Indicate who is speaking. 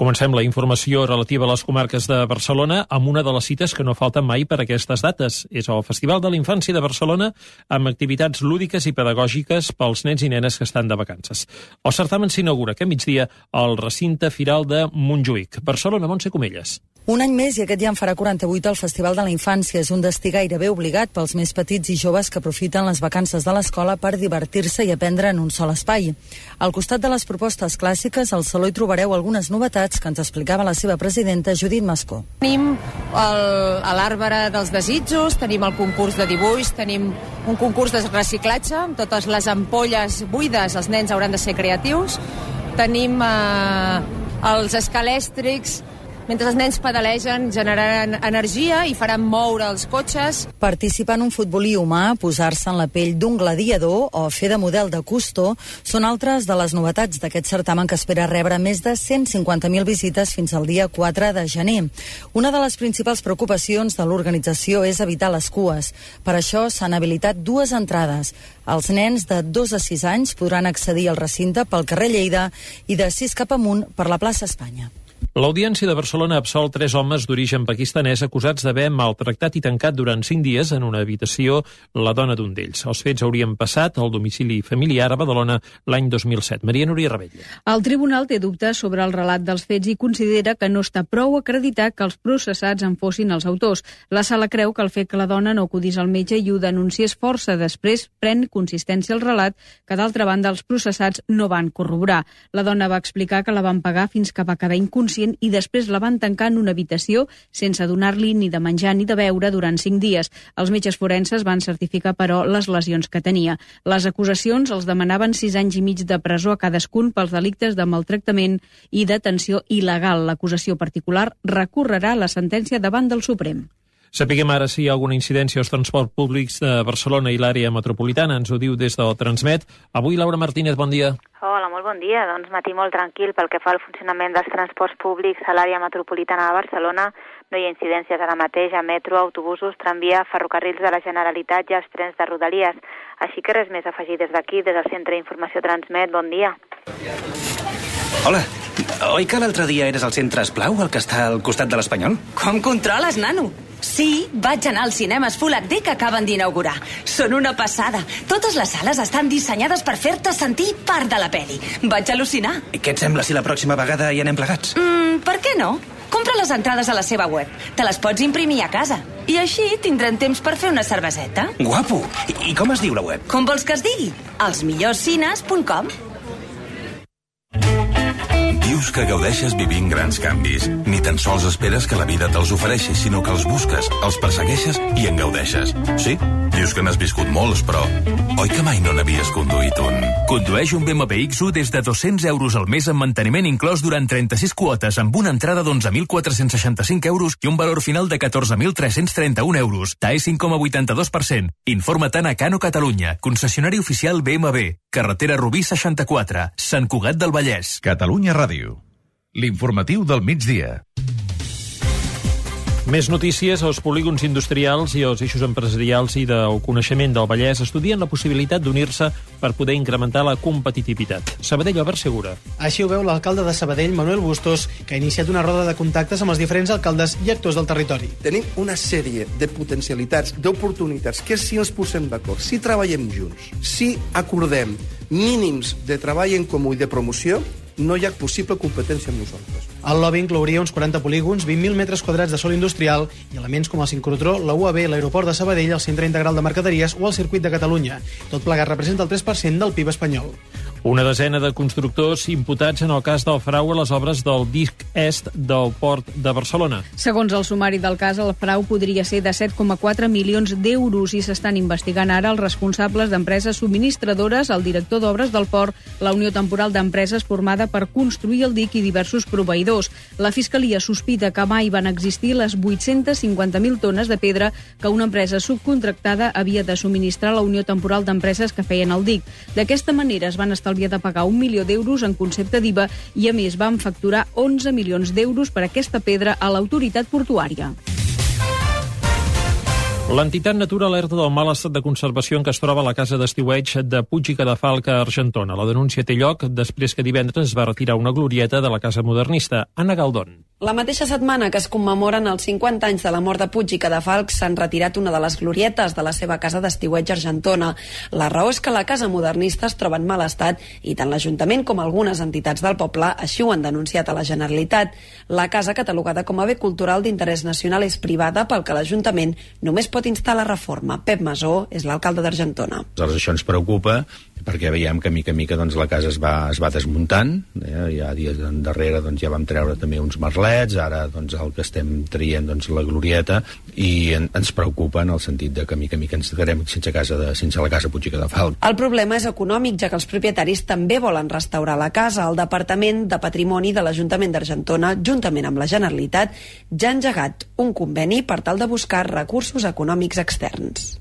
Speaker 1: Comencem la informació relativa a les comarques de Barcelona amb una de les cites que no falten mai per aquestes dates. És el Festival de la Infància de Barcelona amb activitats lúdiques i pedagògiques pels nens i nenes que estan de vacances. El certamen s'inaugura aquest migdia al recinte firal de Montjuïc. Barcelona, Montse Comelles.
Speaker 2: Un any més i aquest ja en farà 48 el Festival de la Infància. És un destí gairebé obligat pels més petits i joves que aprofiten les vacances de l'escola per divertir-se i aprendre en un sol espai. Al costat de les propostes clàssiques, al Saló hi trobareu algunes novetats que ens explicava la seva presidenta, Judit Mascó.
Speaker 3: Tenim l'Arbre dels Desitjos, tenim el concurs de dibuix, tenim un concurs de reciclatge amb totes les ampolles buides, els nens hauran de ser creatius, tenim els escalèstrics. Mentre els nens pedalegen, generaran energia i faran moure els cotxes.
Speaker 2: Participar en un futbolí humà, posar-se en la pell d'un gladiador o fer de model de Cousteau són altres de les novetats d'aquest certamen que espera rebre més de 150.000 visites fins al dia 4 de gener. Una de les principals preocupacions de l'organització és evitar les cues. Per això s'han habilitat 2 entrades. Els nens de 2 a 6 anys podran accedir al recinte pel carrer Lleida i de 6 cap amunt per la plaça Espanya.
Speaker 1: L'Audiència de Barcelona ha absolt 3 homes d'origen pakistanès acusats d'haver maltractat i tancat durant 5 dies en una habitació la dona d'un d'ells. Els fets haurien passat al domicili familiar a Badalona l'any 2007. Maria Núria Rebella.
Speaker 4: El tribunal té dubtes sobre el relat dels fets i considera que no està prou acreditat que els processats en fossin els autors. La sala creu que el fet que la dona no acudís al metge i ho denunciés força després pren consistència el relat que, d'altra banda, els processats no van corroborar. La dona va explicar que la van pagar fins que va quedar inconscient i després la van tancar en una habitació sense donar-li ni de menjar ni de beure durant 5 dies. Els metges forenses van certificar, però, les lesions que tenia. Les acusacions els demanaven 6 anys i mig de presó a cadascun pels delictes de maltractament i detenció il·legal. L'acusació particular recorrerà la sentència davant del Suprem.
Speaker 1: Sapiguem ara si hi ha alguna incidència als transports públics de Barcelona i l'àrea metropolitana. Ens ho diu des del Transmet. Avui, Laura Martínez, bon dia.
Speaker 5: Hola, molt bon dia. Doncs matí molt tranquil pel que fa al funcionament dels transports públics a l'àrea metropolitana de Barcelona. No hi ha incidències ara mateix a metro, autobusos, tramvia, ferrocarrils de la Generalitat i els trens de Rodalies. Així que res més a afegir des d'aquí, des del Centre d'Informació Transmet. Bon dia.
Speaker 6: Hola. Oi que l'altre dia eres al Centre Esplau, el que està al costat de l'Espanyol?
Speaker 7: Com controles, nano? Sí, vaig anar als cinemes Full HD que acaben d'inaugurar. Són una passada. Totes les sales estan dissenyades per fer-te sentir part de la pel·li. Vaig al·lucinar.
Speaker 6: I què et sembla si la pròxima vegada hi anem plegats?
Speaker 7: Per què no? Compra les entrades a la seva web. Te les pots imprimir a casa. I així tindrem temps per fer una cerveseta.
Speaker 6: Guapo! I com es diu la web?
Speaker 7: Com vols que es digui? elsmillorscines.com.
Speaker 8: Dius que gaudeixes vivint grans canvis. Ni tan sols esperes que la vida te'ls ofereixi, sinó que els busques, els persegueixes i en gaudeixes. Sí, dius que n'has viscut molts, però oi que mai no n'havies conduït un?
Speaker 9: Condueix un BMW X1 des de 200 euros al mes amb manteniment inclòs durant 36 quotes amb una entrada d'11.465 euros i un valor final de 14.331 euros. TAE 5,82%. Informa-te'n a Cano Catalunya, concessionari oficial BMW. Carretera Rubí 64, Sant Cugat del Vallès.
Speaker 10: Catalunya Ràdio. L'informatiu del migdia.
Speaker 1: Més notícies. Els polígons industrials i els eixos empresarials i del coneixement del Vallès estudien la possibilitat d'unir-se per poder incrementar la competitivitat. Sabadell, Albert Segura.
Speaker 11: Així ho veu l'alcalde de Sabadell, Manuel Bustos, que ha iniciat una roda de contactes amb els diferents alcaldes i actors del territori.
Speaker 12: Tenim una sèrie de potencialitats, d'oportunitats, que si ens posem d'acord, si treballem junts, si acordem mínims de treball en comú i de promoció, no hi ha possible competència amb nosaltres.
Speaker 11: El lobby inclouria uns 40 polígons, 20.000 metres quadrats de sòl industrial i elements com el sincrotró, la UAB, l'aeroport de Sabadell, el Centre Integral de Mercaderies o el Circuit de Catalunya. Tot plegat representa el 3% del PIB espanyol.
Speaker 1: Una desena de constructors imputats en el cas del frau a les obres del dic est del Port de Barcelona.
Speaker 4: Segons el sumari del cas, el frau podria ser de 7,4 milions d'euros i s'estan investigant ara els responsables d'empreses subministradores, el director d'obres del port, la Unió Temporal d'Empreses formada per construir el dic i diversos proveïdors. La Fiscalia sospita que mai van existir les 850.000 tones de pedra que una empresa subcontractada havia de subministrar a la Unió Temporal d'Empreses que feien el dic. D'aquesta manera es van establir havia de pagar 1 milió d'euros en concepte d'IVA i, a més, van facturar 11 milions d'euros per aquesta pedra a l'autoritat portuària.
Speaker 1: L'entitat Natura alerta del mal estat de conservació en què es troba la casa d'estiueig de Puig i Cadafalch a Argentona. La denúncia té lloc després que divendres es va retirar una glorieta de la casa modernista. Anna Galdón.
Speaker 13: La mateixa setmana que es commemoren els 50 anys de la mort de Puig i Cadafalch s'han retirat una de les glorietes de la seva casa d'estiueig a Argentona. La raó és que la casa modernista es troba en mal estat i tant l'Ajuntament com algunes entitats del poble així ho han denunciat a la Generalitat. La casa, catalogada com a bé cultural d'interès nacional, és privada, pel que l'Ajuntament només pot instar la reforma. Pep Masó és l'alcalde d'Argentona.
Speaker 14: Això ens preocupa perquè veiem que mica en mica la casa es va desmuntant. Ja dies darrere ja vam treure també uns merlets, ara el que estem traient la glorieta, i ens preocupa en el sentit de que mica en mica ens quedarem sense la casa Puig i Cadafalch.
Speaker 13: El problema és econòmic, ja que els propietaris també volen restaurar la casa. El Departament de Patrimoni de l'Ajuntament d'Argentona, juntament amb la Generalitat, ja ha engegat un conveni per tal de buscar recursos econòmics externs.